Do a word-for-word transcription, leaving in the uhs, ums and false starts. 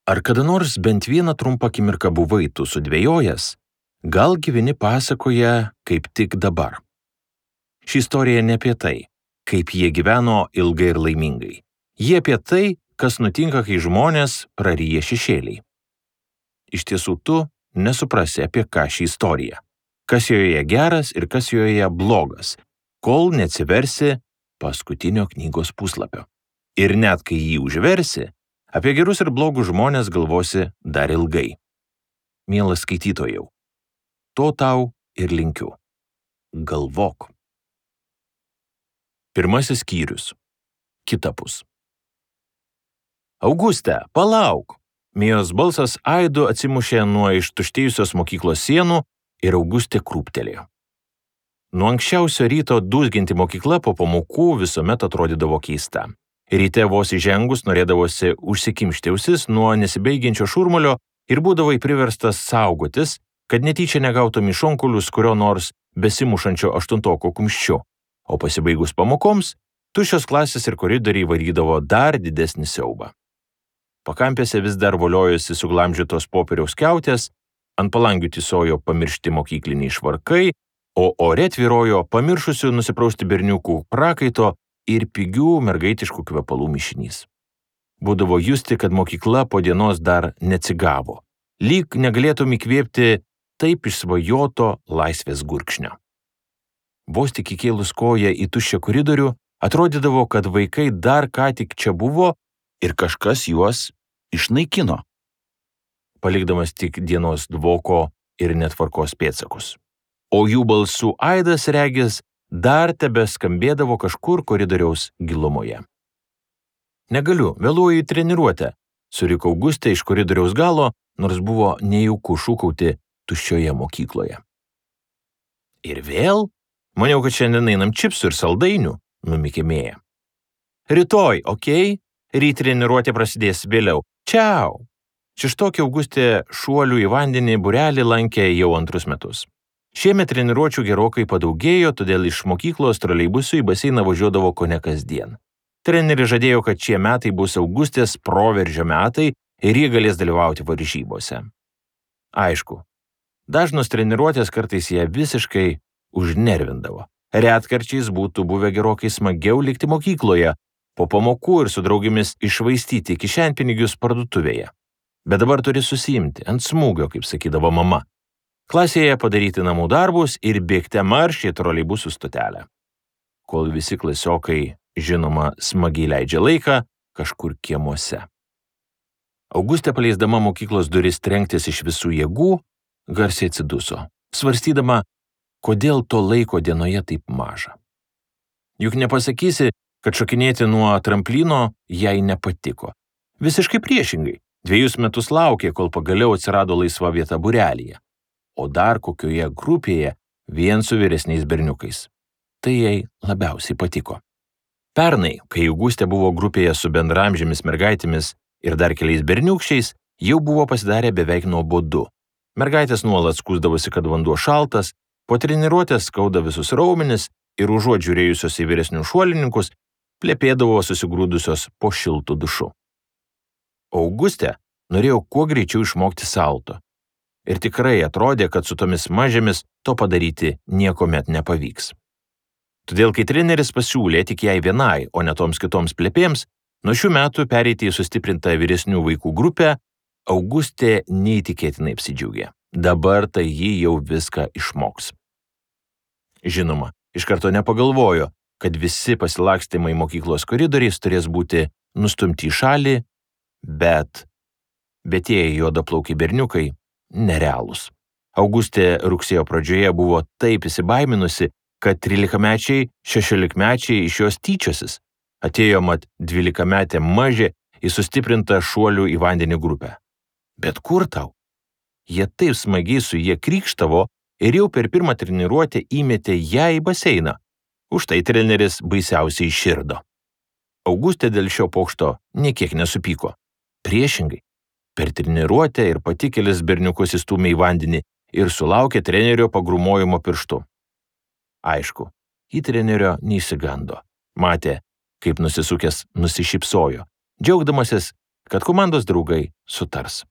Ar kada nors bent vieną trumpą akimirką buvai tu sudvejojęs? Gal gyveni pasakoje kaip tik dabar? Ši istorija ne apie tai, kaip jie gyveno ilgai ir laimingai. Jie apie tai, kas nutinka, kai žmonės praryja šešėliai. Iš tiesų tu nesuprasi, apie ką ši istorija, kas joje geras ir kas joje blogas, kol neatsiversi paskutinio knygos puslapio. Ir net kai jį užversi, apie gerus ir blogus žmonės galvosi dar ilgai. Mielas skaitytojau, to tau ir linkiu. Galvok. Pirmasis skyrius. Kitapus. Auguste, palauk! Mijos balsas aidu atsimušė nuo ištuštėjusios mokyklos sienų ir Augustė krūptelėjo. Nuo anksčiausio ryto dūzginti mokykla po pamokų visuomet atrodydavo keista. Ryte vos įžengus norėdavosi užsikimšti ausis nuo nesibaigiančio šurmulio ir būdavai priverstas saugotis, kad netyčia negautum iš šonkulius kurio nors besimušančio aštuntoko kumščiu, o pasibaigus pamokoms, tuščios klasės ir koridoriai varydavo dar didesnį siaubą. Pakampėse vis dar voliojosi suglamžytos popieriaus skiautės, ant palangių tysojo pamiršti mokykliniai švarkai, o ore tvyrojo pamiršusių nusiprausti berniukų prakaito ir pigių mergaitiškų kvepalų mišinys. Būdavo justi, kad mokykla po dienos dar neatsigavo, lyg negalėtum įkvėpti taip išsvajoto laisvės gurkšnio. Vos tik įkėlus koją į tuščią koridorių, atrodydavo, kad vaikai dar ką tik čia buvo ir kažkas juos išnaikino, palikdamas tik dienos dvoko ir netvarkos pėdsakus. O jų balsų aidas regis dar tebeskambėdavo kažkur koridoriaus gilumoje. Negaliu, vėluoju į treniruotę, suriko Augustė iš koridoriaus galo, nors buvo nejauku šūkauti tuščioje mokykloje. Ir vėl? Maniau, kad šiandien einam čipsų ir saldainių, numykė Mėja. Rytoj, okei? Ryt treniruotė prasidės vėliau. Čiau! Šeštokė Augustė šuolių į vandenį būrelį lankė jau antrus metus. Šiemet treniruočių gerokai padaugėjo, todėl iš mokyklos troleibusų į baseiną važiuodavo kone kasdien. Treneris žadėjo, kad šie metai bus Augustės proveržio metai ir jie galės dalyvauti varžybose. Aišku, dažnos treniruotės kartais ją visiškai užnervindavo. Retkarčiais būtų buvę gerokai smagiau likti mokykloje, po pamokų ir su draugėmis iššvaistyti kišenpinigius parduotuvėje. Bet dabar turi susiimti ant smūgio, kaip sakydavo mama. Klasėje padaryti namų darbus ir bėgte marš į troleibusų stotelę. Kol visi klasiokai, žinoma, smagiai leidžia laiką kažkur kiemuose. Augustė paleisdama mokyklos duris trenktis iš visų jėgų, garsiai atsiduso, svarstydama, kodėl to laiko dienoje taip maža. Juk nepasakysi, kad šokinėti nuo tramplino jai nepatiko. Visiškai priešingai, dviejus metus laukė, kol pagaliau atsirado laisva vieta būrelyje. O dar kokioje grupėje vien su vyresniais berniukais. Tai jai labiausiai patiko. Pernai, kai Augustė buvo grupėje su bendramžėmis mergaitėmis ir dar keliais berniukščiais, jau buvo pasidarę beveik nuobodu. Mergaitės nuolat skųsdavosi, kad vanduo šaltas, po treniruotės skauda visus raumenis ir užuot žiūrėjusios į vyresnių šuolininkus, plepėdavo susigrūdusios po šiltų dušu. Augustė norėjo kuo greičiau išmokti salto. Ir tikrai atrodė, kad su tomis mažėmis to padaryti niekuomet nepavyks. Todėl, kai treneris pasiūlė tik jai vienai, o ne toms kitoms plepėms, nuo šių metų pereiti į sustiprintą vyresnių vaikų grupę, Augustė neįtikėtinai apsidžiaugė. Dabar tai ji jau viską išmoks. Žinoma, iš karto nepagalvojo, kad visi pasilakstymai mokyklos koridoriais turės būti nustumti į šalį, bet, bet tie juodaplaukiai berniukai nerealūs. Augustė rugsėjo pradžioje buvo taip įsibaiminusi, kad trylikamečiai, šešiolikmečiai iš jos tyčiosis. Atėjo mat dvylikametė mažė į sustiprintą šuolių į vandenį grupę. Bet kur tau? Jie taip smagiai su jie krykštavo ir jau per pirmą treniruotę įmetė ją į baseiną. Už tai treneris baisiausiai širdo. Augustė dėl šio pokšto niekiek nesupyko. Priešingai. Per treniruotę ir pati kelis berniukus įstūmė į vandenį ir sulaukė trenerio pagrūmojimo pirštu. Aišku, į trenerio neįsigando. Matė, kaip nusisukęs nusišypsojo, džiaugdamasis, kad komandos draugai sutars.